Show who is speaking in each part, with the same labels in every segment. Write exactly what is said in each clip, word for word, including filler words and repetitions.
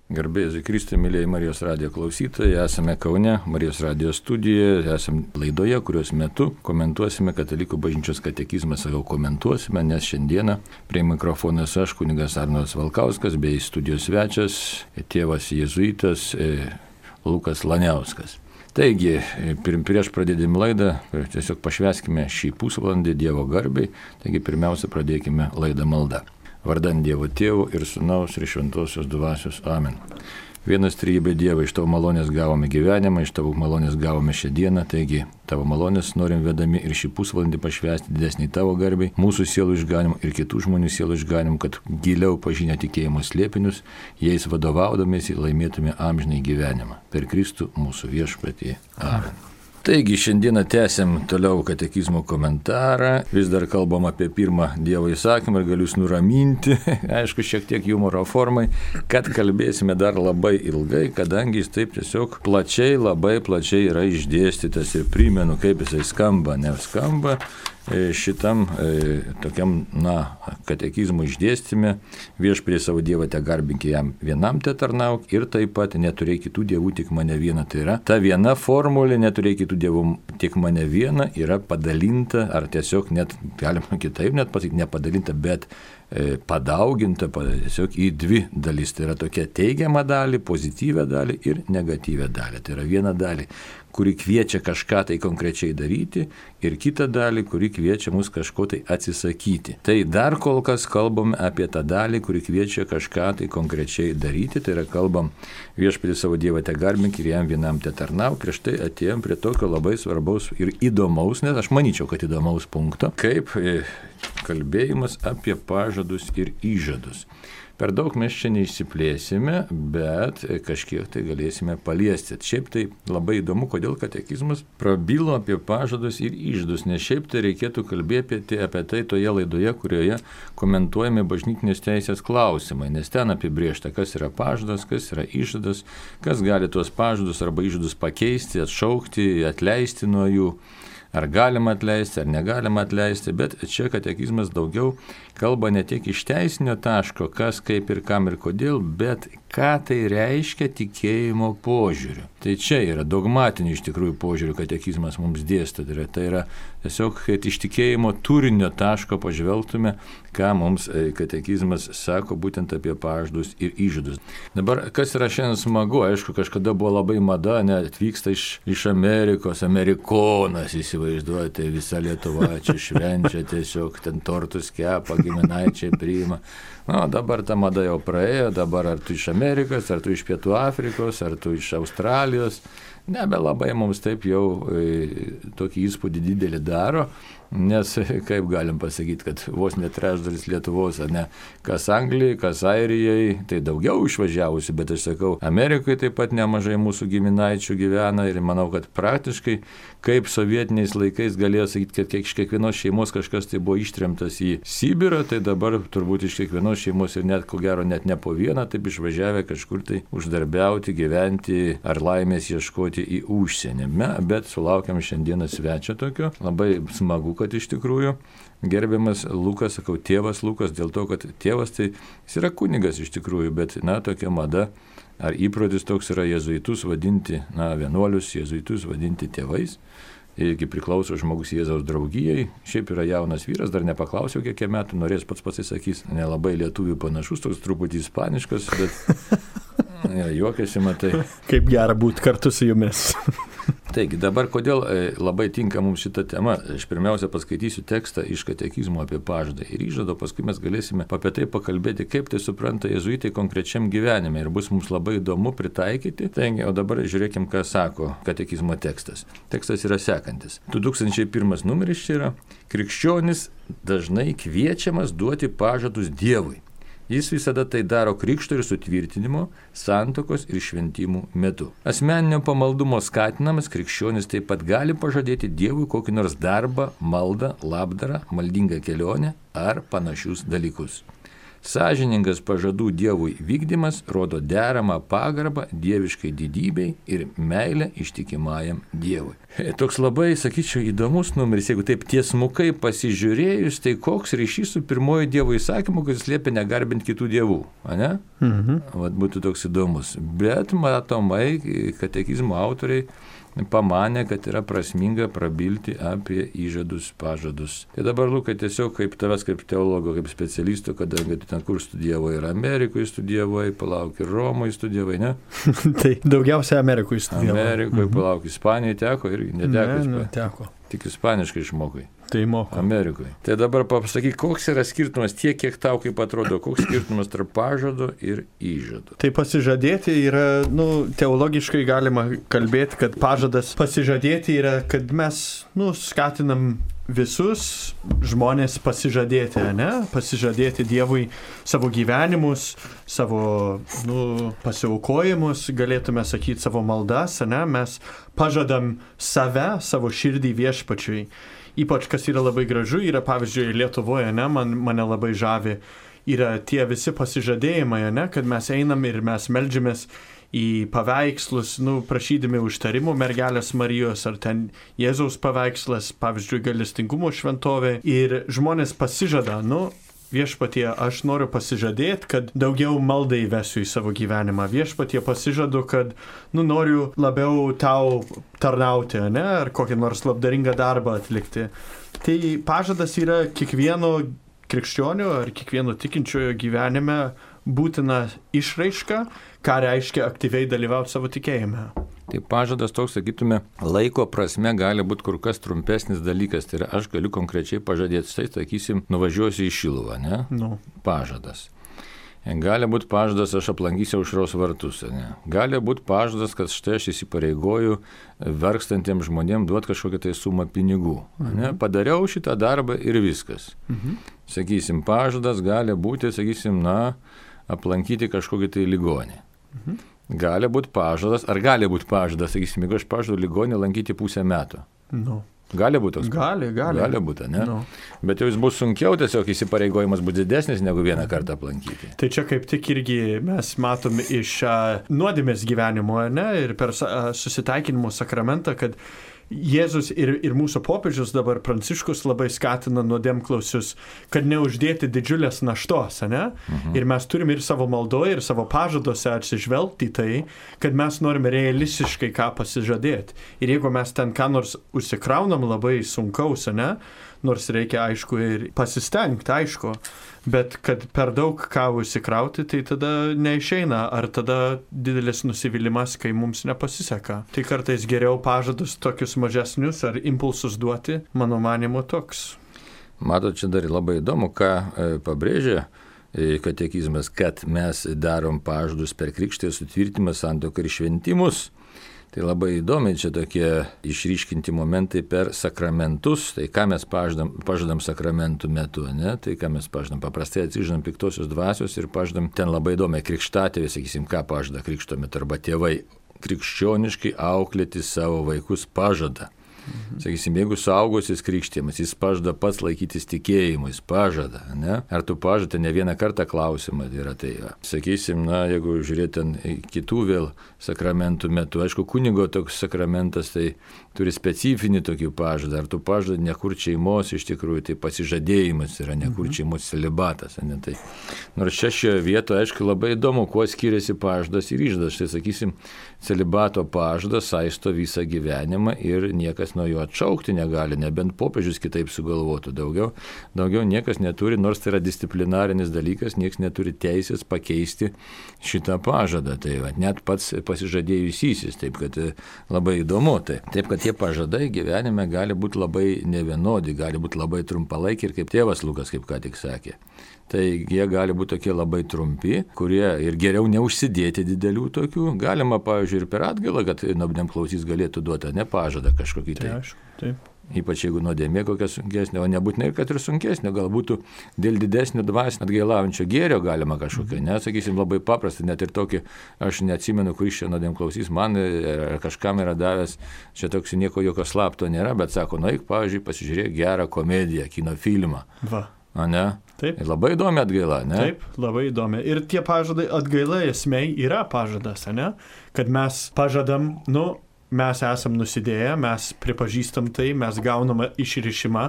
Speaker 1: Garbė Jėzui Kristui, mėlyjei Marijos radijo klausytojai, esame Kaune, Marijos radijo studijoje, esame laidoje, kurios metu komentuosime Katalikų bažnyčios katekizmą, sakau komentuosime, nes šiandieną prie mikrofonas aš, kunigas Arnoldas Valkauskas, bei studijos svečias, tėvas jėzuitas Lukas Laniauskas. Taigi, prieš pradėdami laidą, tiesiog pašvęskime šį pusvalandį Dievo garbei, taigi pirmiausia pradėkime laidą maldą. Vardan Dievo Tėvo ir Sūnaus ir Šventosios Dvasios. Amen. Vienas trejybė Dieve, iš Tavo malonės gavome gyvenimą, iš Tavo malonės gavome šią dieną, taigi Tavo malonės norim vedami ir šį pusvalandį pašvęsti didesnį Tavo garbei, mūsų sielų išganimą ir kitų žmonių sielų išganimą, kad giliau pažinę tikėjimo slėpinius, jais vadovaudomėsi laimėtume amžinai gyvenimą. Per Kristų mūsų viešpatį. Amen. Taigi šiandieną tęsiam toliau katekizmo komentarą, vis dar kalbam apie pirmą Dievo įsakymą ir galiu jūs nuraminti, aišku, šiek tiek humoro formai, kad kalbėsime dar labai ilgai, kadangi jis taip tiesiog plačiai, labai plačiai yra išdėstytas ir primenu, kaip jisai skamba, neskamba. Šitam e, tokiam, na, katekizmų išdėstyme viešpatie savo Dievą te garbinki jam vienam te tarnauk ir taip pat neturėk kitų dievų tik mane vieną. Tai yra ta viena formulė neturėk kitų dievų tik mane vieną yra padalinta, ar tiesiog net, galima kitaip net pasakyti, nepadalinta, bet e, padauginta tiesiog į dvi dalis. Tai yra tokia teigiama dalį, pozityvę dalį ir negatyvę dalį. Tai yra viena dalį, kuri kviečia kažką tai konkrečiai daryti ir kitą dalį, kuri kviečia mus kažko tai atsisakyti. Tai dar kol kas kalbam apie tą dalį, kuri kviečia kažką tai konkrečiai daryti, tai yra kalbam viešpatie savo Dievą te garbink ir jam vienam te tarnauk. Prieš tai atėjom prie tokio labai svarbaus ir įdomaus, nes aš manyčiau, kad įdomaus punkto, kaip kalbėjimas apie pažadus ir įžadus. Per daug mes čia neišsiplėsime, bet kažkiek tai galėsime paliesti. Šiaip tai labai įdomu, kodėl katekizmas prabilo apie pažadus ir įžadus, nes šiaip tai reikėtų kalbėti apie tai toje laidoje, kurioje komentuojame bažnytinės teisės klausimai, nes ten apibrėžta, kas yra pažadas, kas yra įžadas, kas gali tuos pažadus arba įžadus pakeisti, atšaukti, atleisti nuo jų. Ar galima atleisti, ar negalima atleisti, bet čia katekizmas daugiau kalba ne tiek iš teisinio taško, kas, kaip ir kam ir kodėl, bet ką tai reiškia tikėjimo požiūriu. Tai čia yra dogmatinių iš tikrųjų požiūrių katekizmas mums dėsto. Tai yra, tai yra tiesiog, kad iš tikėjimo turinio taško pažvelgtume, ką mums katekizmas sako būtent apie pažadus ir įžadus. Dabar, kas yra šiandien smagu, aišku, kažkada buvo labai mada, net atvyksta iš, iš Amerikos, amerikonas, įsivaizduojate, visa Lietuva čia švenčia, tiesiog ten tortus kepa, giminaičiai priima. Na, dabar ta mada jau praėjo, dabar ar tu iš Amerikos, ar tu iš Pietų Afrikos, ar tu iš Australijos, nebelabai mums taip jau e, tokį įspūdį didelį daro, nes kaip galim pasakyti, kad vos net trečdalis Lietuvos, ar ne, kas Anglijai, kas Airijai, tai daugiau išvažiavusi, bet aš sakau, Amerikoje taip pat nemažai mūsų giminaičių gyvena ir manau, kad praktiškai, kaip sovietiniais laikais galėjo sakyti, kad iš kiekvienos šeimos kažkas tai buvo ištremtas į Sibirą, tai dabar turbūt iš kiekvienos šeimos ir net, ko gero, net ne po vieną, taip išvažiavę kažkur tai uždarbiauti, gyventi ar laimės ieškoti į užsienį. Bet sulaukiam šiandieną svečio tokio, labai smagu, kad iš tikrųjų gerbiamas Lukas, sakau, tėvas Lukas, dėl to, kad tėvas tai jis yra kunigas iš tikrųjų, bet, na, tokia mada ar įprotis toks yra jėzuitus vadinti, na, vienuolius jėzuitus vadinti tėvais. Irgi priklauso žmogus Jėzaus draugijai, šiaip yra jaunas vyras, dar nepaklausiau, kiek metų, norės pats pasisakys, nelabai lietuvių panašus, toks truputį ispaniškas, bet ja, juokiasi, matai.
Speaker 2: Kaip gera būti kartu su jumis.
Speaker 1: Taigi, dabar kodėl labai tinka mums šita tema? Aš pirmiausia paskaitysiu tekstą iš katekizmo apie pažadą ir įžadą, paskui mes galėsime apie tai pakalbėti, kaip tai supranta jėzuitai konkrečiam gyvenime ir bus mums labai įdomu pritaikyti. Taigi, o dabar žiūrėkim, ką sako katekizmo tekstas. Tekstas yra sekantis. du tūkstančiai pirmas numeris čia yra: krikščionis dažnai kviečiamas duoti pažadus Dievui. Jis visada tai daro krikšto ir sutvirtinimo, santuokos ir šventimų metu. Asmeninio pamaldumo skatinamas krikščionis taip pat gali pažadėti Dievui kokį nors darbą, maldą, labdarą, maldingą kelionę ar panašius dalykus. Sąžiningas pažadų Dievui vykdymas rodo deramą pagarbą dieviškai didybei ir meilę ištikimajam Dievui. Toks labai, sakyčiau, įdomus numeris, jeigu taip tiesmukai pasižiūrėjus, tai koks ryšys su pirmoju Dievo įsakymu, kuris liepia negarbinti kitų dievų, ne? Mhm. Vat būtų toks įdomus. Bet matomai, katekizmo autoriai pamanė, kad yra prasminga prabilti apie įžadus, pažadus. Tai dabar, Lukai, tiesiog kaip tavęs, kaip teologo, kaip specialisto, kadangi tu ten kur studijavai, ir Amerikoje studijavai, palauk, ir Romoje studijavai, ne?
Speaker 2: Tai daugiausia Amerikoje studijavai.
Speaker 1: Amerikoje,
Speaker 2: mhm.
Speaker 1: palauk, Ispanijoje teko ir neteko.
Speaker 2: Ne, neteko.
Speaker 1: Tik ispaniškai išmokai.
Speaker 2: Tai moku.
Speaker 1: Amerikoje. Tai dabar pasakyk, koks yra skirtumas tiek, kiek tau kaip atrodo, koks skirtumas tarp pažado ir įžado.
Speaker 2: Tai pasižadėti yra, nu, teologiškai galima kalbėti, kad pažadas pasižadėti yra, kad mes, nu, skatinam visus žmonės pasižadėti, ne? Pasižadėti Dievui savo gyvenimus, savo, nu, pasiaukojimus, galėtume sakyti savo maldas, ne? Mes pažadam save, savo širdį viešpačiui. Ypač, kas yra labai gražu, yra pavyzdžiui Lietuvoje, ne? Man, mane labai žavi, yra tie visi pasižadėjimai, ne? Kad mes einam ir mes meldžiamės į paveikslus, nu, prašydami užtarimų mergelės Marijos, ar ten Jėzaus paveikslas, pavyzdžiui, gailestingumo šventovė. Ir žmonės pasižada, nu, viešpatie, aš noriu pasižadėti, kad daugiau maldai įvesiu į savo gyvenimą. Viešpatie pasižadu, kad, nu, noriu labiau tau tarnauti, ne, ar kokį nors labdaringą darbą atlikti. Tai pažadas yra kiekvieno krikščionio ar kiekvieno tikinčiojo gyvenime būtina išraiška, ką reiškia aktyviai dalyvauti savo tikėjime.
Speaker 1: Tai pažadas toks, sakytume, laiko prasme gali būti kur kas trumpesnis dalykas. Tai yra, aš galiu konkrečiai pažadėti, tai, sakysim, nuvažiuosiu į Šiluvą, ne?
Speaker 2: Nu.
Speaker 1: Pažadas. Gali būti pažadas, aš aplankysiu Aušros vartus, ne? Gali būti pažadas, kad štai aš įsipareigoju verkstantiems žmonėms duoti kažkokią tai sumą pinigų. Mhm. Ne? Padariau šitą darbą ir viskas. Mhm. Sakysim, pažadas gali būti, sakysim, na, aplankyti kažkokį tai ligonį. Mhm. Gali būti pažadas, ar gali būti pažadas, sakysim, jeigu aš pažadu ligonį lankyti pusę metų.
Speaker 2: Nu.
Speaker 1: Gali būti toks?
Speaker 2: Gali, gali.
Speaker 1: Gali būti, ne?
Speaker 2: Nu.
Speaker 1: Bet jau jis bus sunkiau, tiesiog įsipareigojimas bus didesnis negu vieną kartą aplankyti.
Speaker 2: Tai čia kaip tik irgi mes matom iš uh, nuodėmės gyvenimo, ne, ir per uh, susitaikinimo sakramentą, kad Jėzus ir, ir mūsų popiežius dabar Pranciškus labai skatina nuodėmklausius, kad neuždėti didžiulės naštos, ne? Mhm. Ir mes turime ir savo maldoje, ir savo pažaduose atsižvelgti į tai, kad mes norime realistiškai ką pasižadėti. Ir jeigu mes ten ką nors užsikraunam labai sunkaus, ne? Nors reikia, aišku, ir pasistengti, aišku, bet kad per daug ką užsikrauti, tai tada neišeina, ar tada didelis nusivylimas, kai mums nepasiseka. Tai kartais geriau pažadus tokius mažesnius ar impulsus duoti, mano manimo toks.
Speaker 1: Matot, čia dar labai įdomu, ką e, pabrėžia e, katekizmas, kad mes darom pažadus per krikštą ir sutvirtimą, santuoką ir šventimus. Tai labai įdomi čia tokie išryškinti momentai per sakramentus. Tai ką mes pažadam, pažadam sakramentų metu, ne? Tai ką mes pažadam, paprastai atsižadam piktosios dvasios ir pažadam ten labai įdomiai krikštatėvė, sakysim, ką pažada krikšto metu, arba tėvai krikščioniškai auklėti savo vaikus pažada. Mhm. Sakysim, jeigu suaugusis krikštimas, jis pažada pats laikytis tikėjimu, jis pažada, ne? Ar tu pažada, ne vieną kartą klausimą yra tai. Ja. Sakysim, na, jeigu žiūrėt ten kitų vėl sakramentų metu, aišku, kunigo toks sakramentas, tai turi specifinį tokį pažadą. Ar tu pažada nekurt šeimos, iš tikrųjų, tai pasižadėjimas yra nekurt šeimos celibatas, ne? Tai, nors čia šioje vietoje, aišku, labai įdomu, kuo skiriasi pažadas ir įžadas. Tai, sakysim, celibato pažadas saisto visą gyvenimą ir niekas nuo jo atšaukti negali, nebent popiežius kitaip sugalvotų. Daugiau, daugiau niekas neturi, nors tai yra disciplinarinis dalykas, niekas neturi teisės pakeisti šitą pažadą. Tai va, net pats pasižadėjusysis, taip kad labai įdomu. Tai. Taip, kad tie pažadai gyvenime gali būti labai nevienodi, gali būti labai trumpalaikiai ir kaip tėvas Lukas, kaip ką tik sakė. Tai jie gali būti tokie labai trumpi, kurie ir geriau neužsidėti didelių tokių. Galima, pavyzdžiui, ir per atgailą, kad nuodėmklausys galėtų duoti, ne pažadą kažkokį tai.
Speaker 2: Taip, taip.
Speaker 1: Ypač jeigu nuodėmė kokia sunkesnė, o nebūtinai, kad ir sunkesnė, galbūt dėl didesnio dvasinio atgailaujančio gėrio galima kažkokia, ne, sakysim, labai paprasta, net ir tokį, aš neatsimenu, kuris čia nuodėmklausys, man ar kažkam yra davęs, čia toks nieko jokio slapto nėra, bet sako, nueik, pavyzdžiui, pasižiūrėk gerą komediją, kino filmą.
Speaker 2: Va.
Speaker 1: A, ne?
Speaker 2: Taip.
Speaker 1: Labai įdomi atgaila, ne?
Speaker 2: Taip, labai įdomi. Ir tie pažadai atgaila esmei yra pažadas, ne? Kad mes pažadam, nu, mes esam nusidėję, mes pripažįstam tai, mes gaunam išrišimą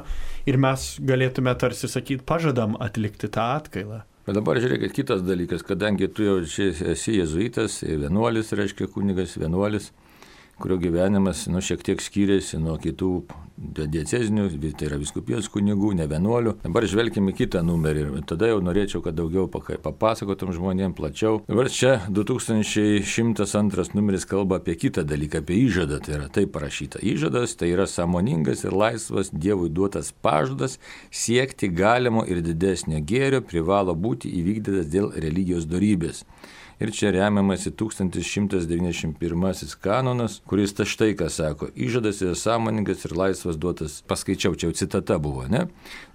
Speaker 2: ir mes galėtume tarsi sakyti, pažadam atlikti tą atgailą.
Speaker 1: Bet dabar žiūrėkit kitas dalykas, kadangi tu jau esi jėzuitas, vienuolis, reiškia kunigas, vienuolis, kurio gyvenimas nu, šiek tiek skiriasi nuo kitų diecezinių, tai yra vyskupijos kunigų, ne vienuolių. Dabar žvelkime kitą numerį ir tada jau norėčiau, kad daugiau papasakotum žmonėms plačiau. Dabar čia du tūkstančiai šimtas antras numeris kalba apie kitą dalyką, apie įžadą, tai yra taip parašyta. Įžadas tai yra sąmoningas ir laisvas Dievui duotas pažadas siekti galimo ir didesnio gėrio privalo būti įvykdytas dėl religijos dorybės. Ir čia remiamasi tūkstantis šimtas devyniasdešimt pirmasis kanonas, kuris ta štai ką sako, įžadas yra sąmoningas ir laisvas duotas, paskaičiau, čia jau citata buvo, ne?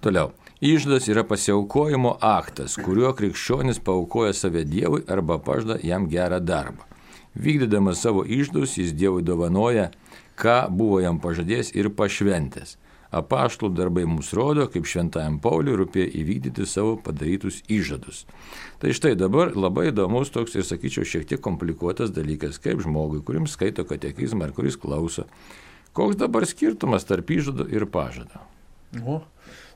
Speaker 1: Toliau, įžadas yra pasiaukojimo aktas, kuriuo krikščionis paaukoja save Dievui arba pažada jam gerą darbą. Vykdydamas savo įžadus, jis Dievui dovanoja, ką buvo jam pažadėjęs ir pašventęs. Apaštalų darbai mums rodo, kaip šventajam Pauliui rūpėjo įvykdyti savo padarytus įžadus. Tai štai dabar labai įdomus toks ir, sakyčiau, šiek tiek komplikuotas dalykas, kaip žmogui, kurim skaito katekizmą ar kuris klauso. Koks dabar skirtumas tarp įžado ir pažado?
Speaker 2: O,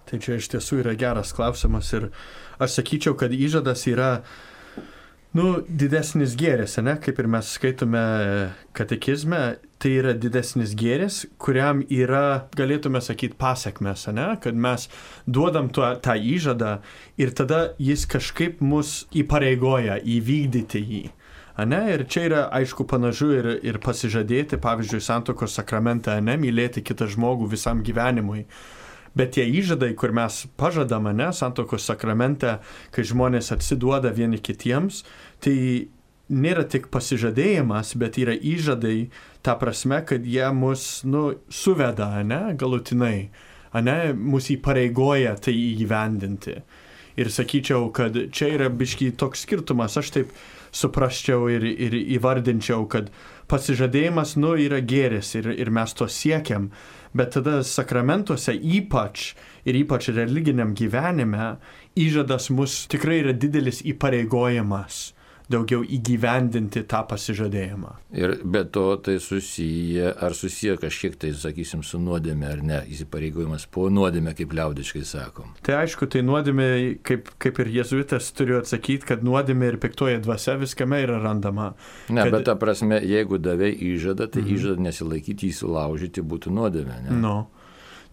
Speaker 2: tai čia iš tiesų yra geras klausimas ir aš sakyčiau, kad įžadas yra nu, didesnis gėris, ne? Kaip ir mes skaitome katekizme, tai yra didesnis gėris, kuriam yra, galėtume sakyti, pasekmes, ne? Kad mes duodam tuo, tą įžadą ir tada jis kažkaip mus įpareigoja įvykdyti jį. Ane? Ir čia yra, aišku, panašu ir, ir pasižadėti, pavyzdžiui, santuokos sakramentą, ne? Mylėti kitą žmogų visam gyvenimui. Bet tie įžadai, kur mes pažadame, ne, santuokos sakramente, kai žmonės atsiduoda vieni kitiems, tai nėra tik pasižadėjimas, bet yra įžadai, ta prasme, kad jie mus nu, suveda, ne, galutinai, ne, mus įpareigoja tai įgyvendinti. Ir sakyčiau, kad čia yra biškiai toks skirtumas, aš taip suprasčiau ir, ir įvardinčiau, kad pasižadėjimas nu, yra gėris ir, ir mes to siekiam. Bet tada sakramentuose ypač ir ypač religiniam gyvenime įžadas mus tikrai yra didelis įpareigojimas daugiau įgyvendinti tą pasižadėjimą.
Speaker 1: Ir be to tai susiję, ar susiję kažkiek tai, sakysim, su nuodėme ar ne, įsipareigojimas po nuodėme, kaip liaudiškai sakom.
Speaker 2: Tai aišku, tai nuodėme, kaip, kaip ir jėzuitas turiu atsakyti, kad nuodėme ir piktoji dvasia viskame yra randama.
Speaker 1: Ne,
Speaker 2: kad...
Speaker 1: bet ta prasme, jeigu davei įžadą, tai mm-hmm. įžadą nesilaikyti, įsilaužyti būtų nuodėme, ne?
Speaker 2: No.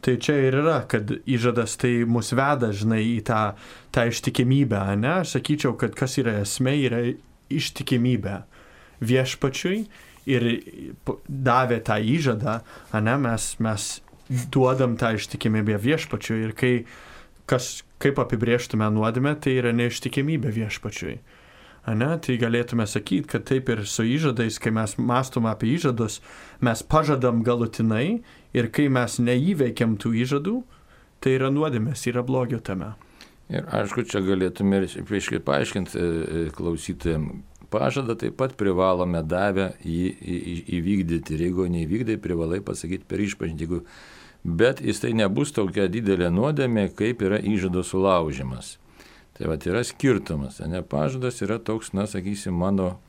Speaker 2: Tai čia ir yra, kad įžadas tai mus veda, žinai, į tą, tą ištikimybę, ne? Aš sakyčiau, kad kas yra esmė, yra ištikimybė viešpačiui ir davė tą įžadą, ne? Mes, mes duodam tą ištikimybę viešpačiui ir kai, kas, kaip apibrėžtume nuodėmę, tai yra neištikimybė viešpačiui. Ne? Tai galėtume sakyti, kad taip ir su įžadais, kai mes mąstom apie įžadus, mes pažadam galutinai ir kai mes neįveikiam tų įžadų, tai yra nuodėmės, yra blogio tame.
Speaker 1: Ir aišku, čia galėtume ir paaiškinti klausytojams, pažadą taip pat privalome davę jį įvykdyti ir jeigu neįvykdai, privalai pasakyti per išpažintį, bet jis tai nebus tokia didelė nuodėmė, kaip yra įžado sulaužimas. Tai va, yra skirtumas, ne, pažadas yra toks, na, sakysim, mano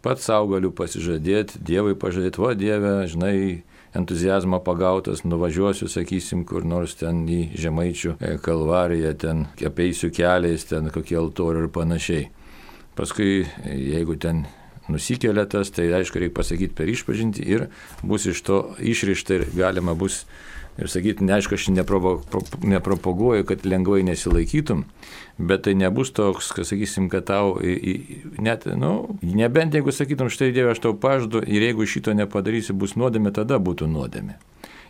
Speaker 1: pats savo galiu pasižadėti, Dievui pažadėti, va, Dieve, žinai, entuzijazmą pagautas, nuvažiuosiu, sakysim, kur nors ten į Žemaičių kalvariją, ten apeisiu keliais, ten kokie altoriai ir panašiai. Paskui, jeigu ten nusikelia tas, tai aišku, reikia pasakyti per išpažintį ir bus iš to išrišta ir galima bus ir sakyti, neaišku, aš nepropaguoju, kad lengvai nesilaikytum, bet tai nebus toks, kad sakysim, kad tau, net, nu, nebent jeigu sakytum, štai Dieve, aš tau pažadu ir jeigu šito nepadarysi, bus nuodėmė, tada būtų nuodėmė.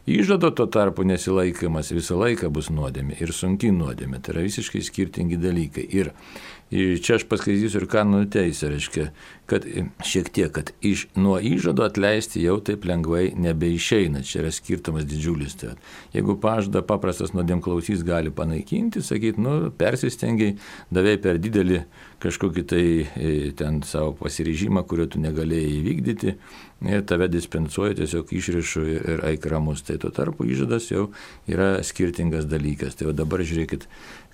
Speaker 1: Įžado tuo tarpu nesilaikymas visą laiką bus nuodėmė ir sunki nuodėmė, tai yra visiškai skirtingi dalykai. Ir čia aš paskaitysiu ir kanonų teisę, reiškia, kad šiek tiek, kad iš, nuo įžado atleisti jau taip lengvai nebeišeina, čia yra skirtumas didžiulis. Tai, jeigu pažadą paprastas nuodėmklausys gali panaikinti, sakyti, nu, persistengiai, davėjai per didelį kažkokį tai ten savo pasiryžimą, kurio tu negalėjai įvykdyti, ir tave dispensuoja tiesiog išrišu ir, ir eik ramus. Tai tuo tarpu įžadas jau yra skirtingas dalykas. Tai dabar žiūrėkit,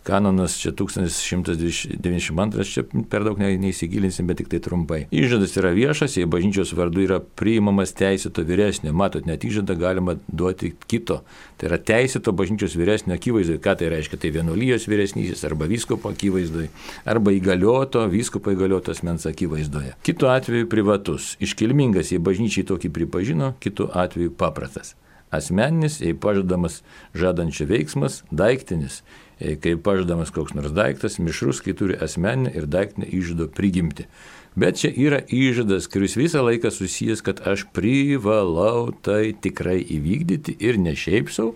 Speaker 1: kanonas čia tūkstantis šimtas devyniasdešimt antras, čia per daug neįsigilinsim, bet tik tai trumpai. Įžadas yra viešas, jei bažnyčios vardu yra priimamas teisėto vyresnio. Matot, net įžadą galima duoti kito. Tai yra teisėto bažnyčios vyresnio akivaizdoje. Ką tai reiškia? Tai vienuolijos vyresnysis arba vyskupo akivaizdoje, arba įgalioto, vyskupo įgalioto asmens akivaizdoje. Kitu atveju privatus. Iškilmingas, jei bažnyčiai tokį pripažino, kitu atveju paprastas. Asmeninis, jei pažadamas žadančio veiksmas, daiktinis, jei kai pažadamas koks nors daiktas, mišrus, kai turi asmeninę ir daiktinę įžado prigimti. Bet čia yra įžadas, kuris visą laiką susijęs, kad aš privalau tai tikrai įvykdyti ir ne šiaip sau,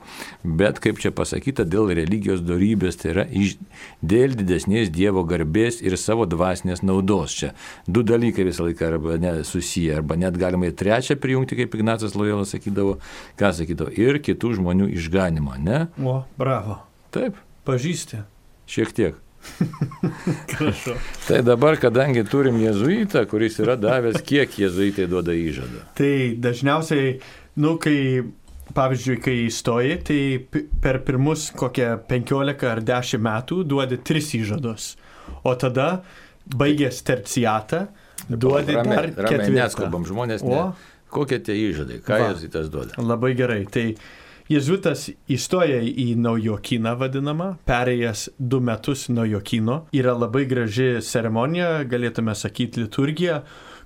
Speaker 1: bet kaip čia pasakyta, dėl religijos dorybės, tai yra iš, dėl didesnės Dievo garbės ir savo dvasinės naudos. Čia du dalykai visą laiką arba ne, susiję, arba net galima ir trečią prijungti, kaip Ignacas Lojola sakydavo, ką sakydavo, ir kitų žmonių išganimo, ne?
Speaker 2: O, bravo.
Speaker 1: Taip.
Speaker 2: Pažįsti.
Speaker 1: Šiek tiek.
Speaker 2: Prašau.
Speaker 1: Tai dabar, kadangi turim jėzuitą, kuris yra davęs, kiek jėzuitai duoda įžadą?
Speaker 2: Tai dažniausiai, nu, kai, pavyzdžiui, kai įstoji, tai per pirmus kokią penkiolika ar dešimt metų duodi tris įžadus. O tada, baigęs terciatą, duodi
Speaker 1: ramiai,
Speaker 2: dar
Speaker 1: ramiai,
Speaker 2: ketvirtą.
Speaker 1: Neskubam žmonės, ne. Kokie tie įžadai? Ką jėzuitas duoda?
Speaker 2: Labai gerai. Tai jėzuitas įstoja į naujokyną vadinamą, perėjęs du metus naujokyno. Yra labai graži ceremonija, galėtume sakyti liturgija,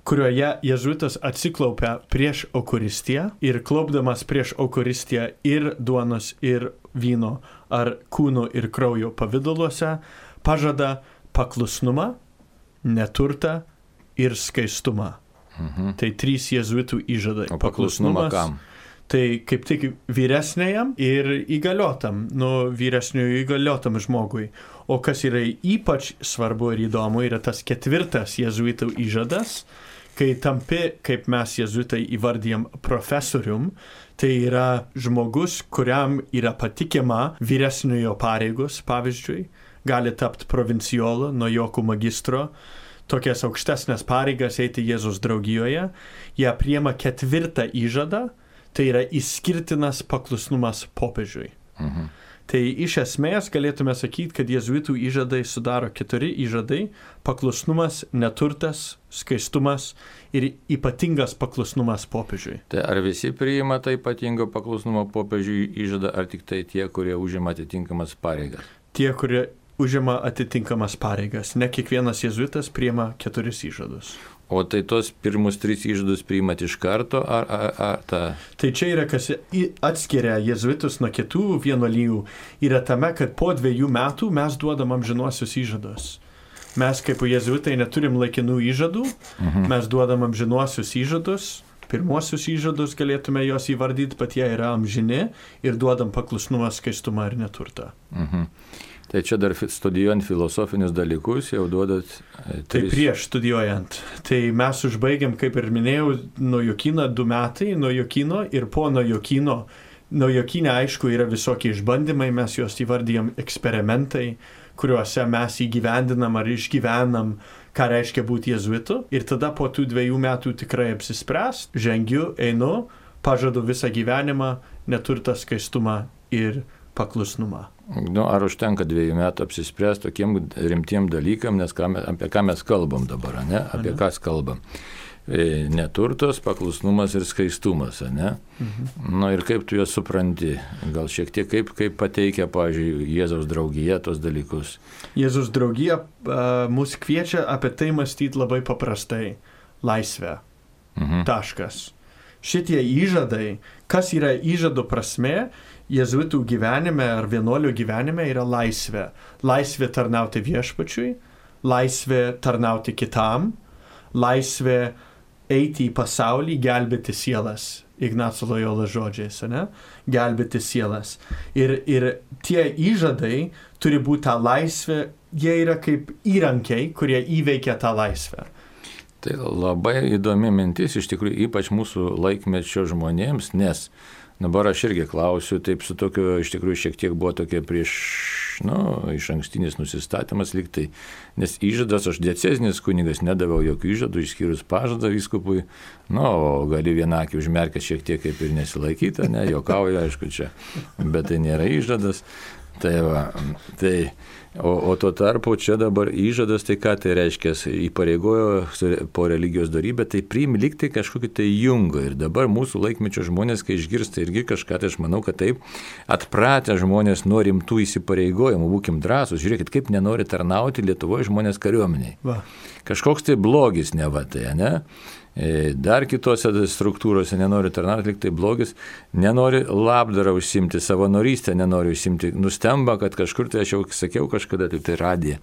Speaker 2: kurioje jėzuitas atsiklaupia prieš Eucharistiją ir klaupdamas prieš Eucharistiją ir duonos, ir vyno, ar kūno ir kraujo pavidaluose, pažada paklusnumą, neturtą ir skaistumą.
Speaker 1: Mhm.
Speaker 2: Tai trys jėzuitų įžadai.
Speaker 1: O paklusnumą kam?
Speaker 2: Tai kaip tik vyresniajam ir įgaliotam, nu, vyresniųjų įgaliotam žmogui. O kas yra ypač svarbu ir įdomu, yra tas ketvirtas jėzuitų įžadas, kai tampi, kaip mes jėzuitai įvardijam, profesorium, tai yra žmogus, kuriam yra patikima vyresniojo pareigos, pavyzdžiui, gali tapti provincijolu, naujokų magistro, tokias aukštesnės pareigas eiti Jėzus draugijoje, jie priima ketvirtą įžadą, tai yra išskirtinas paklusnumas popiežiui.
Speaker 1: Mhm.
Speaker 2: Tai iš esmės galėtume sakyti, kad jėzuitų įžadai sudaro keturi įžadai - paklusnumas, neturtas, skaistumas ir ypatingas paklusnumas popiežiui.
Speaker 1: Tai ar visi priima tai ypatingo paklusnumo popiežiui įžadą, ar tik tai tie, kurie užima atitinkamas pareigas?
Speaker 2: Tie, kurie užima atitinkamas pareigas. Ne kiekvienas jėzuitas priima keturis įžadus.
Speaker 1: O tai tos pirmus tris įžadus priimat iš karto, ar, ar, ar ta...
Speaker 2: Tai čia yra, kas atskiria jėzuitus nuo kitų vienuolijų, yra tame, kad po dviejų metų mes duodam amžinuosius įžadus. Mes kaip jėzuitai neturim laikinų įžadų, mhm. mes duodam amžinuosius įžadus, pirmuosius įžadus galėtume juos įvardyti, bet jie yra amžini ir duodam paklusnumą, skaistumą ir neturtą.
Speaker 1: Mhm. Tai čia dar studijuojant filosofinius dalykus jau duodat... E, tris...
Speaker 2: Tai prieš studijuojant. Tai mes užbaigiam, kaip ir minėjau, naujokyną du metai, naujokyno ir po naujokyno. Naujokyne, aišku, yra visokie išbandymai, mes juos įvardyjam eksperimentai, kuriuose mes įgyvendinam ar išgyvenam, ką reiškia būti jėzuitu. Ir tada po tų dviejų metų tikrai apsispręs, žengiu, einu, pažadu visą gyvenimą, neturtą, skaistumą ir paklusnumą.
Speaker 1: Nu, ar užtenka dviejų metų apsispręsti tokiem rimtiem dalykam, nes ką, apie ką mes kalbam dabar, ne? Apie ką kalbam. E, neturtos, paklusnumas ir skaistumas, ne? Mhm. Nu, ir kaip tu juos supranti? Gal šiek tiek kaip, kaip pateikia, pavyzdžiui, Jėzaus draugija tos dalykus?
Speaker 2: Jėzaus draugija uh, mus kviečia apie tai mąstyti labai paprastai. Laisvė. Mhm. Taškas. Šitie įžadai, kas yra įžado prasme, jėzuitų gyvenime ar vienuolių gyvenime yra laisvė. Laisvė tarnauti viešpačiui, laisvė tarnauti kitam, laisvė eiti į pasaulį, gelbėti sielas. Ignaco Lojola žodžiais, ne? Gelbėti sielas. Ir, ir tie įžadai turi būti tą laisvę, jie yra kaip įrankiai, kurie įveikia tą laisvę.
Speaker 1: Tai labai įdomi mintis, iš tikrųjų, ypač mūsų laikmečio žmonėms, nes dabar aš irgi klausiu, taip su tokiu, iš tikrųjų, šiek tiek buvo tokia prieš, nu, iš ankstinis nusistatymas liktai, nes įžadas, aš diecezinis kunigas, nedaviau jokių įžadų, išskyrus pažadą vyskupui, nu, o gali vienakį užmerkę šiek tiek kaip ir nesilaikyta, ne, juokauju, aišku, čia, bet tai nėra įžadas. Tai va, tai O, o tuo tarpu čia dabar įžadas, tai ką tai reiškia, įpareigojo po religijos darybę, tai priimi likti kažkokį tai jungą. Ir dabar mūsų laikmečio žmonės, kai išgirsta irgi kažką, tai aš manau, kad taip atpratę žmonės nuo rimtų įsipareigojimų, būkim drąsūs, žiūrėkit, kaip nenori tarnauti Lietuvoje žmonės kariuomeniai. Va. Kažkoks tai blogis neva tai, ne? Dar kitose struktūrose nenori tarnauti, lyg tai blogis, nenori labdarą užsimti, savanorystę nenori užsimti, nustemba, kad kažkur, tai aš jau sakiau kažkada, tai tai radija.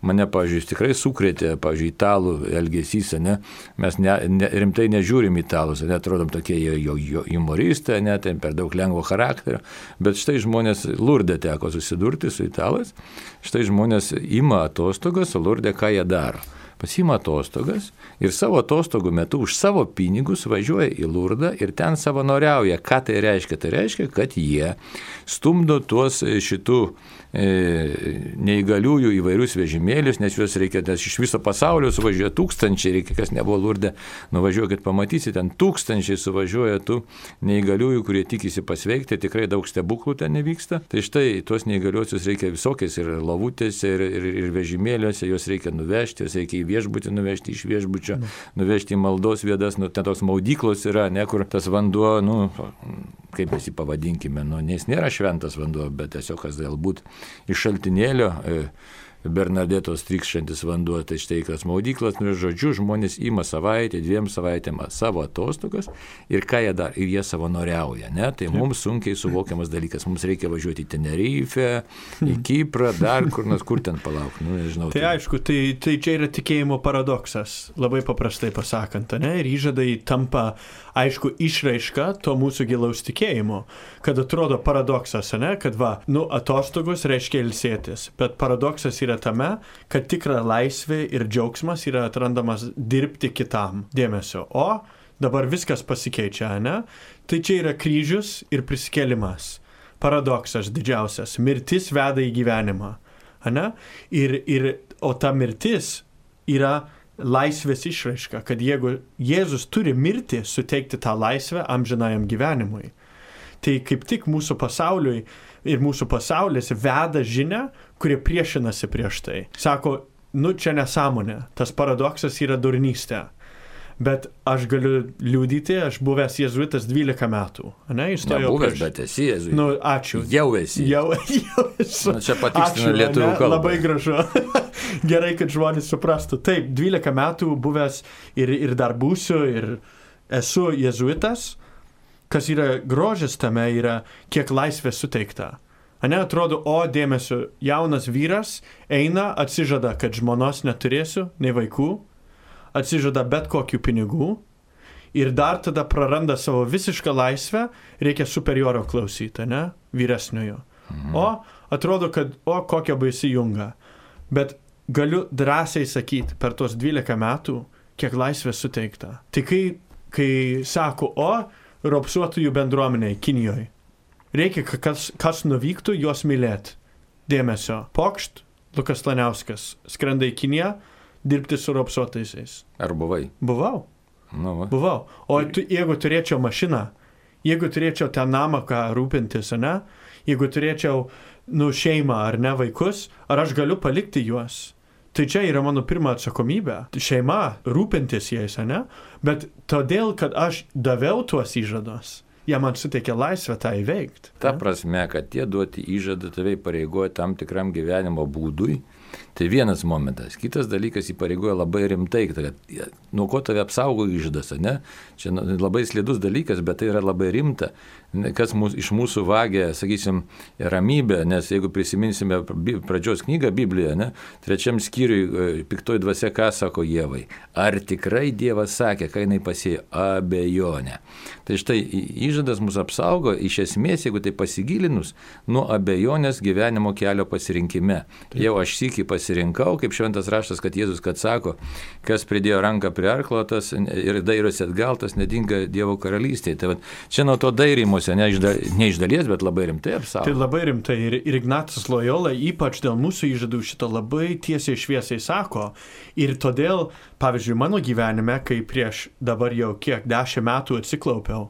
Speaker 1: Mane, pavyzdžiui, tikrai sukrėtė, pavyzdžiui, italų elgesys, ne? Mes ne, ne, rimtai nežiūrim italus, netrodom tokie jo, jo humoristai, ne, tai per daug lengvo charakterio, bet štai žmonės Lurde teko susidurti su italais, štai žmonės ima atostogas, o Lurde ką jie daro. Pasima atostogas ir savo atostogų metu už savo pinigus važiuoja į Lurdą ir ten savanoriauja. Ką tai reiškia? Tai reiškia, kad jie stumdo tuos šitų e, neįgaliųjų įvairius vežimėlius, nes juos reikia, nes iš viso pasaulio suvažiuoja tūkstančiai, reikia, kas nebuvo Lurde, nuvažiuokit, pamatysit, ten tūkstančiai suvažiuoja tų neįgaliųjų, kurie tikisi pasveikti, tikrai daug stebuklų ten nevyksta. Tai štai tuos neįgaliuosius reikia visokiais ir lavutėse, ir, ir, ir vežimėliuose, juos reikia nuvežti, juos reikia į viešbutį nuvežti, iš viešbučio nuvežti į maldos vietas, nu, ten tos maudyklos yra, ne, kur tas vanduo, nu, kaip mes jį pavadinkime, nu, nes nėra šventas vanduo, bet tiesiog kas galbūt iš šaltinėlio e, Bernadetos trykščiantis vanduo, tai štai kas maudyklas, nu, žodžiu, žmonės ima savaitę, dviem savaitėm savo atostogas ir ką jie dar, ir jie savanoriauja, ne, tai mums sunkiai suvokiamas dalykas, mums reikia važiuoti į Tenerifę, į Kiprą, dar kur nors, kur ten palauk, nu, nežinau.
Speaker 2: Tai, tai aišku, tai, tai čia yra tikėjimo paradoksas, labai paprastai pasakant, ne, ir įžadai tampa, aišku, išraiška to mūsų gilaus tikėjimo, kad atrodo paradoksas, ne, kad va, nu, atostogos reiškia ilsėtis, bet paradoksas yra tame, kad tikra laisvė ir džiaugsmas yra atrandamas dirbti kitam dėmesio. O dabar viskas pasikeičia, ne? Tai čia yra kryžius ir prisikėlimas. Paradoksas didžiausias. Mirtis veda į gyvenimą. Ne? Ir, ir, o ta mirtis yra laisvės išraiška, kad jeigu Jėzus turi mirti, suteikti tą laisvę amžinajam gyvenimui. Tai kaip tik mūsų pasauliui ir mūsų pasaulis veda žinią, kurie priešinasi prieš tai. Sako, nu čia nesąmonė, tas paradoksas yra durnystė. Bet aš galiu liūdyti, aš buvęs jėzuitas dvylika metų. Ne,
Speaker 1: įstojau buvęs, prieš... bet esi jėzuitas.
Speaker 2: Nu, ačiū.
Speaker 1: Jau esi.
Speaker 2: Jau, jau esu.
Speaker 1: Na, čia patikslinu lietuvių kalbą.
Speaker 2: Labai gražu. Gerai, kad žmonės suprastų. Taip, dvylika metų buvęs ir, ir dar būsiu, ir esu jėzuitas. Kas yra grožis tame, yra kiek laisvės suteikta. Ane, atrodo, o dėmesio, jaunas vyras eina, atsižada, kad žmonos neturėsiu, nei vaikų, atsižada bet kokių pinigų ir dar tada praranda savo visišką laisvę, reikia superioro klausyti, ne, vyresniojo. Mhm. O atrodo, kad, o kokia baisi junga. Bet galiu drąsiai sakyti, per tos dvylika metų, kiek laisvės suteikta. Tai kai, kai sako, o, ropsuotųjų bendruomeniai Kinijoje. Reikia, kas, kas nuvyktų, juos mylėti. Dėmesio. Pokšt, Lukas Laniauskas, skrenda į Kiniją, dirbti su ropsuotaisiais.
Speaker 1: Ar buvai?
Speaker 2: Buvau.
Speaker 1: Nu, va.
Speaker 2: Buvau. O tu, jeigu turėčiau mašiną, jeigu turėčiau tą namą, ką rūpintis, ne? Jeigu turėčiau, nu, šeimą ar ne vaikus, ar aš galiu palikti juos? Tai čia yra mano pirma atsakomybė. Šeima, rūpintis jais, ne? Bet todėl, kad aš daviau tuos įžados, jie man suteikė laisvę tą įveikti.
Speaker 1: Ta prasme, kad tie duoti įžadai tave įpareigoja tam tikram gyvenimo būdui, tai vienas momentas. Kitas dalykas įpareigoja labai rimtai, kad nuo ko tave apsaugo įžadas, ne? Čia labai slidus dalykas, bet tai yra labai rimta. Kas mūs, iš mūsų vagia, sakysim, ramybę, nes jeigu prisiminsime pradžios knygą Bibliją, ne, trečiam skyriui piktoji dvasia ką sako Ievai? Ar tikrai Dievas sakė, kai jinai pasėjo? Abejonę. Tai štai įžadas mus apsaugo, iš esmės, jeigu tai pasigilinus, nuo abejonės gyvenimo kelio pasirinkime. Jau aš sykį pasirinkau, kaip šventas raštas, kad Jėzus, kad sako, kas pridėjo ranką prie arklo, tas ir dairosi atgal, tas nedinga Dievo karalystėje. Tai va, čia nuo to dairymosi, ne iš, da, ne iš dalies, bet labai rimtai apsaugo.
Speaker 2: Tai labai rimtai. Ir, ir Ignacas Lojola, ypač dėl mūsų įžadų, šito labai tiesiai šviesiai sako. Ir todėl, pavyzdžiui, mano gyvenime, kai prieš dabar jau kiek dešimt metų atsiklaupiau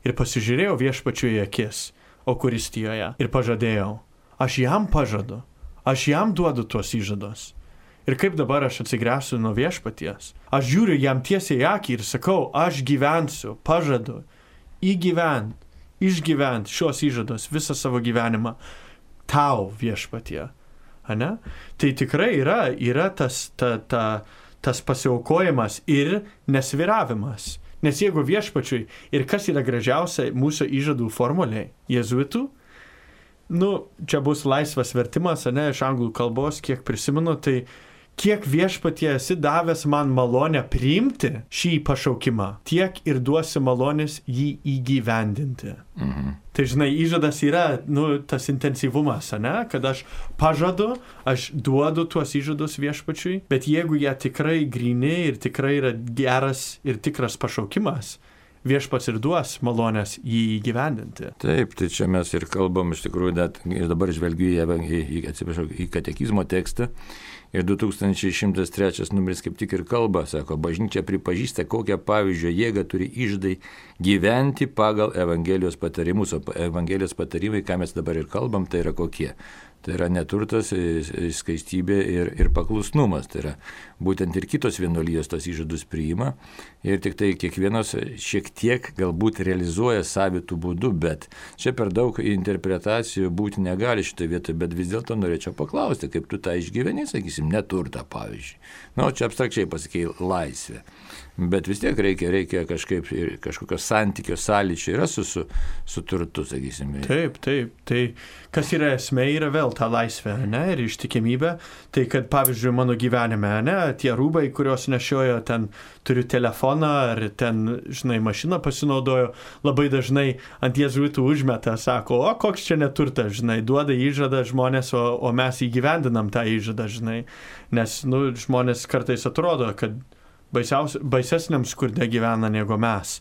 Speaker 2: ir pasižiūrėjau viešpačiui į akis Eucharistijoje ir pažadėjau, aš jam pažadu, Aš jam duodu tuos įžadus. Ir kaip dabar aš atsigręsiu nuo viešpaties? Aš žiūriu jam tiesiai į akį ir sakau, aš gyvensiu, pažadu, įgyvent, išgyvent šios įžadus visą savo gyvenimą tau viešpatie. Ane? Tai tikrai yra, yra tas, ta, ta, tas pasiaukojimas ir nesviravimas. Nes jeigu viešpačiui, ir kas yra gražiausia mūsų įžadų formuliai, jėzuitų, nu, čia bus laisvas vertimas, ane, iš anglų kalbos, kiek prisimenu, tai kiek viešpatie esi davęs man malonę priimti šį pašaukimą, tiek ir duosi malonės jį įgyvendinti. Mhm. Tai žinai, įžadas yra, nu, tas intensyvumas, ane, kad aš pažadu, aš duodu tuos įžadus viešpačiui, bet jeigu jie tikrai gryni ir tikrai yra geras ir tikras pašaukimas, viešpats ir duos malonės jį įgyvendinti.
Speaker 1: Taip, tai čia mes ir kalbam, iš tikrųjų, net, dabar žvelgiu į, į, į, atsiprašau, į katekizmo tekstą. Ir du tūkstančiai šimtas trečias numeris kaip tik ir kalba, sako, bažnyčia pripažįsta, kokią pavyzdžio jėgą turi įžadai gyventi pagal Evangelijos patarimus. O Evangelijos patarimai, ką mes dabar ir kalbam, tai yra kokie? Tai yra neturtas, skaistybė ir, ir paklusnumas. Tai yra būtent ir kitos vienuolijos tos įžadus priima. Ir tik tai kiekvienos šiek tiek galbūt realizuoja savitų būdų, bet čia per daug interpretacijų būti negali šitoje vietoje, bet vis dėlto norėčiau paklausti, kaip tu tą išgyveni, sakysim, neturtą, pavyzdžiui. Na, nu, čia abstrakčiai pasakėjai laisvė. Bet vis tiek reikia, reikia kažkaip ir kažkokio santykio sąlyčio yra su, su, su turtu, sakysim.
Speaker 2: Taip, taip. Tai kas yra esmė, yra vėl ta laisvė, ne, ir ištikimybė. Tai kad, pavyzdžiui, mano gyvenime, ne, tie rūbai, kuriuos nešiojo, ten turiu telefoną ar ten, žinai, mašiną pasinaudojo, labai dažnai ant jėzuitų užmeta, sako, o koks čia neturtas, žinai, duoda įžadą žmonės, o, o mes įgyvendinam tą įžadą, žinai. Nes, nu, žmonės kartais atrodo, kad baisesniam skurde gyvena negu mes.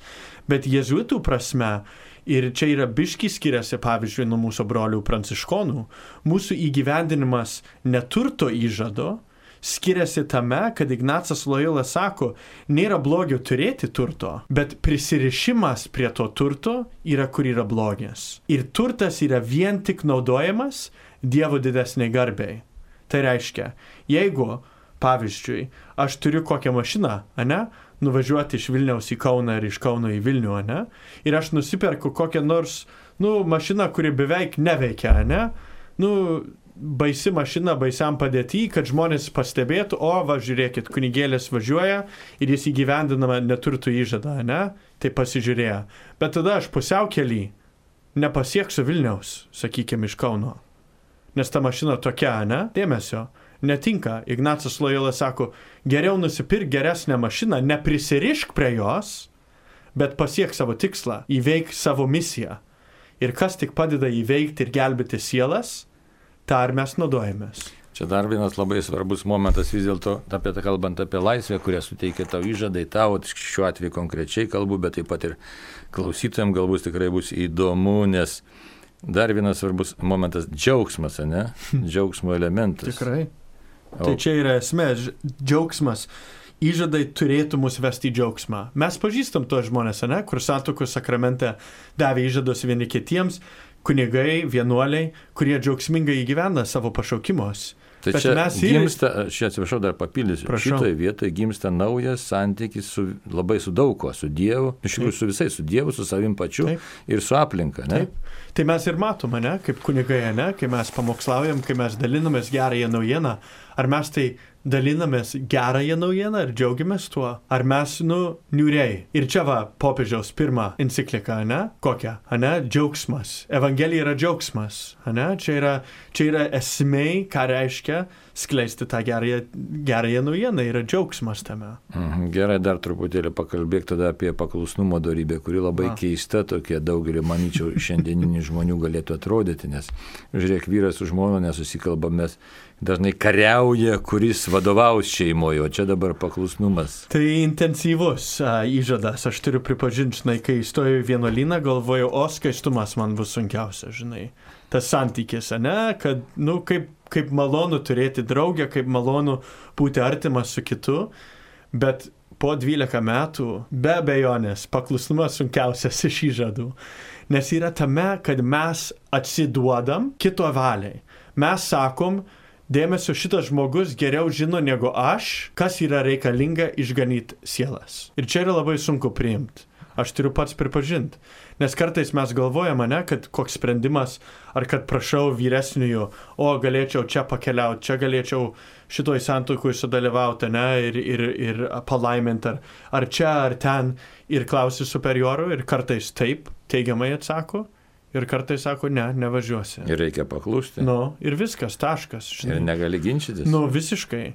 Speaker 2: Bet jėzuitų prasme, ir čia yra biški skiriasi, pavyzdžiui, nuo mūsų brolių pranciškonų, mūsų įgyvendinimas neturto įžado skiriasi tame, kad Ignacas Lojola sako, nėra blogio turėti turto, bet prisirišimas prie to turto yra, kur yra blogis. Ir turtas yra vien tik naudojamas Dievo didesniai garbei. Tai reiškia, jeigu pavyzdžiui, aš turiu kokią mašiną, ane, nuvažiuoti iš Vilniaus į Kauną ir iš Kauno į Vilnių, ane, ir aš nusiperku kokią nors, nu, mašiną, kuri beveik neveikia, ane, nu, baisi mašina, baisiam padėti, kad žmonės pastebėtų, o, va, žiūrėkit, kunigėlis važiuoja ir jis įgyvendinama neturtų įžadą, ane, tai pasižiūrėjo. Bet tada aš pusiau kely nepasieksiu Vilniaus, sakykime, iš Kauno, nes ta mašina tokia, ane, dėmesio. Netinka. Ignacas Lojola sako, geriau nusipirk geresnę mašiną, neprisirišk prie jos, bet pasiek savo tikslą, įveik savo misiją. Ir kas tik padeda įveikti ir gelbėti sielas, tą ir mes naudojamės.
Speaker 1: Čia dar vienas labai svarbus momentas vis dėlto, apie tą kalbant apie laisvę, kurią suteikia tau įžadai, tau, šiuo atveju konkrečiai kalbu, bet taip pat ir klausytojams galbūt tikrai bus įdomu, nes dar vienas svarbus momentas – džiaugsmas, ne? Džiaugsmo elementas.
Speaker 2: Tikrai. Tai čia yra esmė, džiaugsmas. Įžadai turėtų mus vesti į džiaugsmą. Mes pažįstam tos žmonės, ne, kur santuokos sakramente davė įžadus vieni kitiems, kunigai, vienuoliai, kurie džiaugsmingai įgyvena savo pašaukimus.
Speaker 1: Tai bet čia ir... gimsta, aš atsiprašau, dar papildysiu, šitoje vietoje gimsta naujas santykis su, labai su daug ko, su Dievu, iš tikrųjų su visais, su Dievu, su savim pačiu. Taip. Ir su aplinka, ne?
Speaker 2: Taip. Tai mes ir matome, ne, kaip kunigai, ne, kai mes pamokslaujam, kai mes dalinamės gerąją naujieną, ar mes tai dalinamės gerąją naujieną ir džiaugiamės tuo, ar mes, nu, niūriai. Ir čia va, popiežiaus pirma enciklika, ne, kokia, ne, džiaugsmas. Evangelija yra džiaugsmas, ne, čia yra, čia yra esmė, ką reiškia skleisti tą gerąją, gerąją naujieną, yra džiaugsmas tame.
Speaker 1: Mhm, gerai, dar truputėlį pakalbėk tada apie paklusnumo dorybę, kuri labai A. keista tokia daugelį, manyčiau, šiandieninių žmonių galėtų atrodyti, nes, žiūrėk, vyras su žmona nesusikalba, mes dažnai kariauja, kuris vadovaus šeimoje, o čia dabar paklusnumas.
Speaker 2: Tai intensyvus a, įžadas, aš turiu pripažinti, žinai, kai įstojau į vienuolyną, galvojau, o skaistumas man bus sunkiausia, žinai. Tas santykis, ne, kad, nu, kaip, kaip malonu turėti draugę, kaip malonu būti artimas su kitu, bet po dvylika metų, be abejonės, paklusnumas sunkiausias iš įžadų, nes yra tame, kad mes atsiduodam kito valiai. Mes sakom, dėmesio šitas žmogus geriau žino negu aš, kas yra reikalinga išganyti sielas. Ir čia yra labai sunku priimti. Aš turiu pats pripažinti. Nes kartais mes galvojame, ne, kad koks sprendimas, ar kad prašau vyresniųjų, o galėčiau čia pakeliauti, čia galėčiau šitoj santuokoj sudalyvauti, ne, ir, ir, ir palaiminti, ar, ar čia, ar ten, ir klausi superiorų, ir kartais taip teigiamai atsako, ir kartais sako, ne, nevažiuosi.
Speaker 1: Ir reikia paklusti.
Speaker 2: Nu, ir viskas, taškas. Žinai.
Speaker 1: Ir negali ginčytis.
Speaker 2: Nu, visiškai.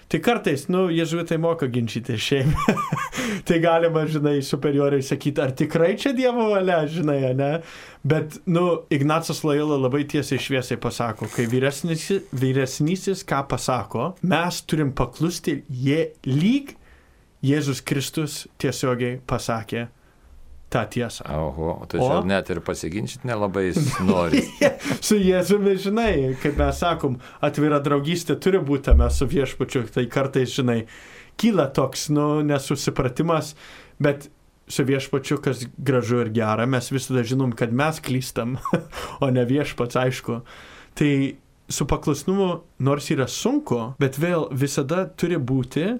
Speaker 2: Tai kartais, nu, jėzuitai moka ginčyti šiaip. Tai galima, žinai, superioriai sakyti, ar tikrai čia Dievo valia, žinai, ne? Bet, nu, Ignacas Lojola labai tiesiai šviesiai pasako, kai vyresnysis, vyresnysis ką pasako, mes turim paklusti, jie lyg Jėzus Kristus tiesiogiai pasakė tą tiesą.
Speaker 1: Oho, tai čia net ir pasiginčyti nelabai nori.
Speaker 2: Su Jėzumi, žinai, kaip mes sakom, atvira draugystė turi būti mes su viešpačiu, tai kartais, žinai, kyla toks, nu, nesusipratimas, bet su viešpačiu, kas gražu ir gera, mes visada žinom, kad mes klystam, o ne viešpats, aišku. Tai su paklusnumu, nors yra sunku, bet vėl visada turi būti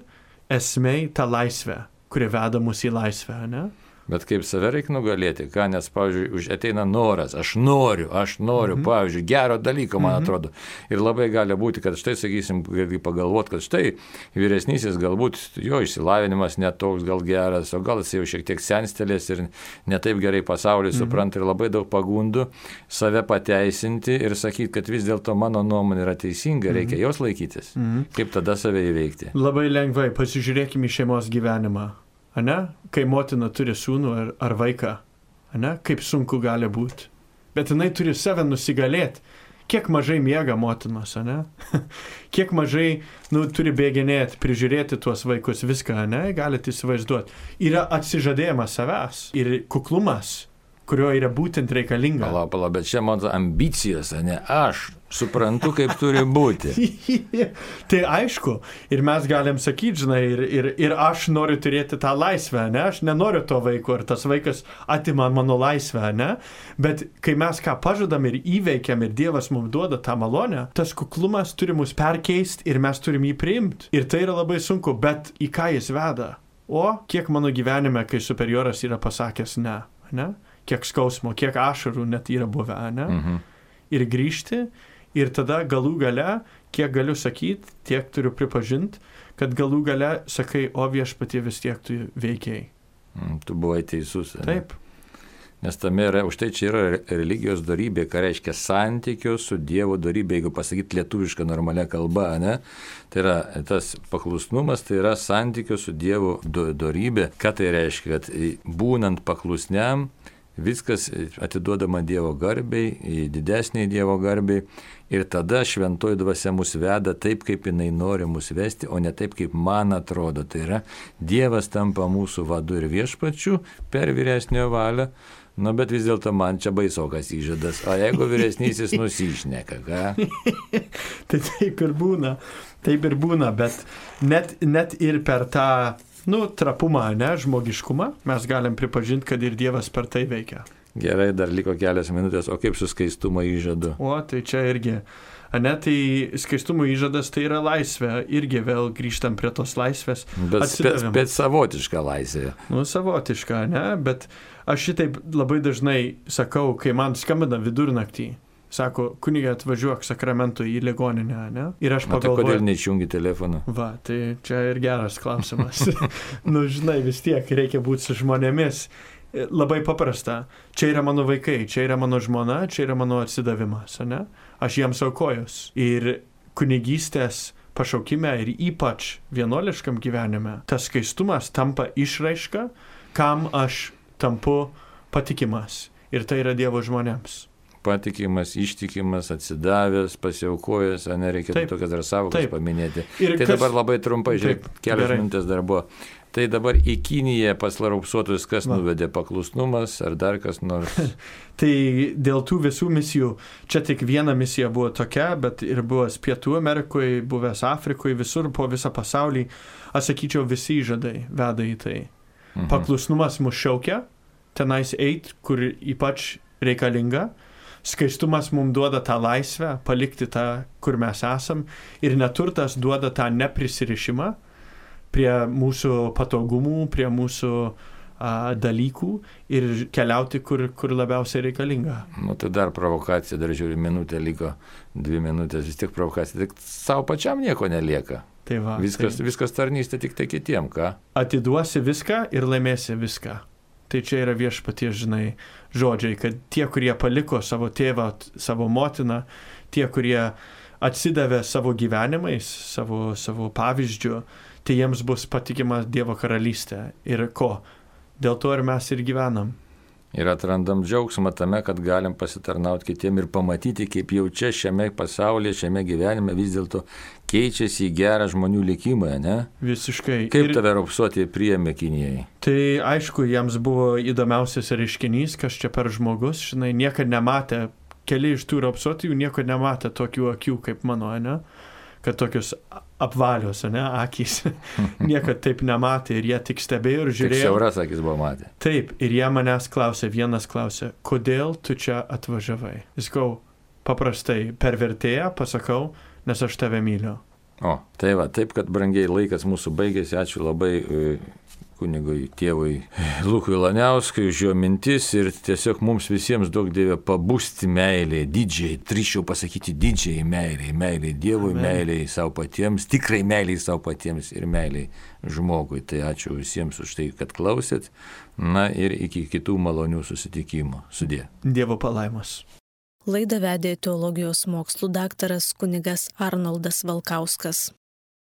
Speaker 2: esmei ta laisvė, kuri veda mus į laisvę, ne?
Speaker 1: Bet kaip save reikia nugalėti, ką, nes, pavyzdžiui, už ateina noras, aš noriu, aš noriu, mm-hmm. pavyzdžiui, gero dalyko, man mm-hmm. atrodo. Ir labai gali būti, kad štai, sakysim, pagalvot, kad štai vyresnysis galbūt jo išsilavinimas netoks gal geras, o gal jis jau šiek tiek senstelės ir netaip gerai pasaulį mm-hmm. supranta ir labai daug pagundų save pateisinti ir sakyti, kad vis dėlto mano nuomonė yra teisinga, reikia mm-hmm. jos laikytis. Mm-hmm. Kaip tada save įveikti?
Speaker 2: Labai lengvai, pasižiūrėkime į šeimos gyvenimą. Ane? Kai motina turi sūnų ar, ar vaiką, ane? Kaip sunku gali būti. Bet jinai turi save nusigalėti. Kiek mažai miega motinos, ane? Kiek mažai, nu, turi bėginėti, prižiūrėti tuos vaikus, viską, ane? Galite įsivaizduoti. Yra atsižadėjimas savęs ir kuklumas, kurio yra būtent reikalinga.
Speaker 1: Pala, pala, bet čia mano ambicijos, ne? Aš suprantu, kaip turi būti.
Speaker 2: Tai aišku, ir mes galim sakyti, žinai, ir, ir, ir aš noriu turėti tą laisvę, ne? Aš nenoriu to vaiko, ir tas vaikas atima mano laisvę, ne? Bet kai mes ką pažadam ir įveikiam, ir Dievas mums duoda tą malonę, tas kuklumas turi mus perkeisti ir mes turim jį priimti. Ir tai yra labai sunku, bet į ką jis veda? O kiek mano gyvenime, kai superioras yra pasakęs ne, ne? Kiek skausmo, kiek ašarų net yra buvę, ne? Mhm. Ir grįžti, ir tada galų gale, kiek galiu sakyti, tiek turiu pripažinti, kad galų gale sakai, o viešpatie vis tiek tu veikiai.
Speaker 1: Mm, tu buvai teisus.
Speaker 2: Taip.
Speaker 1: Ne? Nes tame yra, už tai čia yra religijos dorybė, ką reiškia santykio su Dievo dorybė, jeigu pasakyti lietuvišką normalią kalbą, ne? Tai yra tas paklusnumas, tai yra santykio su Dievo do, dorybė. Ką tai reiškia? Kad būnant paklusniam, viskas atiduodama Dievo garbei, didesniai Dievo garbei ir tada šventoji dvasia mus veda taip, kaip jinai nori mus vesti, o ne taip, kaip man atrodo. Tai yra, Dievas tampa mūsų vadu ir viešpačiu per vyresnio valią, nu bet vis dėlto man čia baisokas įžadas. O jeigu vyresnysis nusišneka, ką?
Speaker 2: Tai taip ir būna, taip ir būna, bet net, net ir per tą nu, trapumą, ne, žmogiškumą, mes galim pripažinti, kad ir Dievas per tai veikia.
Speaker 1: Gerai, dar liko kelias minutės, o kaip su skaistumo įžadu?
Speaker 2: O, tai čia irgi, ne, tai skaistumo įžadas tai yra laisvė, irgi vėl grįžtam prie tos laisvės.
Speaker 1: Bet, bet, bet savotiška laisvė.
Speaker 2: Nu, savotiška, ne, bet aš šitaip labai dažnai sakau, kai man skambina vidurnaktį. Sako, kunigė, atvažiuok Sakramento į ligoninę, ne? Ir aš pagalvoju...
Speaker 1: Tai kodėl neišjungi telefoną?
Speaker 2: Va, tai čia ir geras klausimas. Nu, žinai, vis tiek reikia būti su žmonėmis. Labai paprasta. Čia yra mano vaikai, čia yra mano žmona, čia yra mano atsidavimas, ne? Aš jiems aukojus. Ir kunigystės pašaukime ir ypač vienuoliškam gyvenime, tas skaistumas tampa išraiška, kam aš tampu patikimas. Ir tai yra Dievo žmonėms.
Speaker 1: Patikimas, ištikimas, atsidavęs, pasiaukojęs, nereikia tokias dar savokas paminėti. Ir tai kas... dabar labai trumpai, žiūrėk, kelios minutės dar buvo. Tai dabar į Kiniją pas Lauraupsuotus kas Va. Nuvedė paklusnumas ar dar kas nors?
Speaker 2: Tai dėl tų visų misijų, čia tik viena misija buvo tokia, bet ir buvęs Pietų Amerikoje, buvęs Afrikoje, visur po visą pasaulį, aš sakyčiau, visi įžadai veda į tai. Mhm. Paklusnumas mus šaukia, tenais eit, kur ypač reikalinga. skaistumas mums duoda tą laisvę, palikti tą, kur mes esam, ir neturtas duoda tą neprisirišimą prie mūsų patogumų, prie mūsų a, dalykų ir keliauti, kur, kur labiausiai reikalinga.
Speaker 1: Nu, tai dar provokacija, dar žiūri, minutė liko, dvi minutės, vis tiek provokacija, tik savo pačiam nieko nelieka.
Speaker 2: Tai va,
Speaker 1: viskas,
Speaker 2: tai...
Speaker 1: viskas tarnystė tik tai kitiem, ką?
Speaker 2: Atiduosi viską ir laimėsi viską. Tai čia yra viešpaties, žinai, žodžiai, kad tie, kurie paliko savo tėvą, savo motiną, tie, kurie atsidavė savo gyvenimais, savo, savo pavyzdžiu, tai jiems bus patikima Dievo karalystė. Ir ko? Dėl to ir mes ir gyvenam.
Speaker 1: Ir atrandam džiaugsmą tame, kad galim pasitarnauti kitiem ir pamatyti, kaip jau čia šiame pasaulyje, šiame gyvenime vis dėlto keičiasi į gerą žmonių likimą, ne?
Speaker 2: Visiškai.
Speaker 1: Kaip
Speaker 2: ir...
Speaker 1: tave raupsuotieji priėmė Kinijai?
Speaker 2: Tai aišku, jiems buvo įdomiausias reiškinys, kas čia per žmogus, žinai, niekad nematė, keli iš tų raupsuotijų niekad nematė tokių akių kaip mano, ne? Kad tokius apvalios, ne, akys, niekad taip nematė ir jie tik stebėjo ir žiūrėjo.
Speaker 1: Tik siauras akis buvo matę.
Speaker 2: Taip, ir jie manęs klausė, vienas klausė, kodėl tu čia atvažiavai? Jis kau, paprastai per vertėją pasakau, nes aš tave myliu.
Speaker 1: O, tai va, taip, kad brangiai laikas mūsų baigėsi, ačiū labai kunigui tėvui Lukui Laniauskui už jo mintis ir tiesiog mums visiems daug Dieve pabusti meilė, didžiai, drįsčiau pasakyti didžiai meilė, meilė Dievui, Amen. Meilė savo patiems, tikrai meilė savo patiems ir meilė žmogui. Tai ačiū visiems už tai, kad klausėt, na ir iki kitų malonių susitikimų. Sudie.
Speaker 2: Dievo palaimos.
Speaker 3: Laidą vedė teologijos mokslų daktaras kunigas Arnoldas Valkauskas.